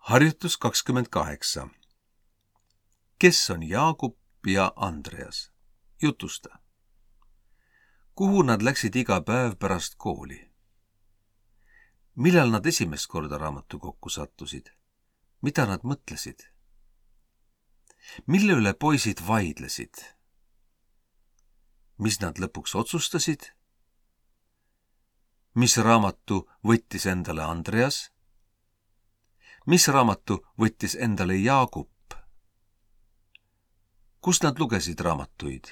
Harjutus 28. Kes on Jaagup ja Andreas? Jutusta. Kuhu nad läksid iga päev pärast kooli? Millal nad esimest korda raamatukokku sattusid? Mida nad mõtlesid? Mille üle poisid vaidlesid? Mis nad lõpuks otsustasid? Mis raamatu võttis endale Andreas? Mis raamatu võttis endale Jaagup? Kust nad lugesid raamatuid?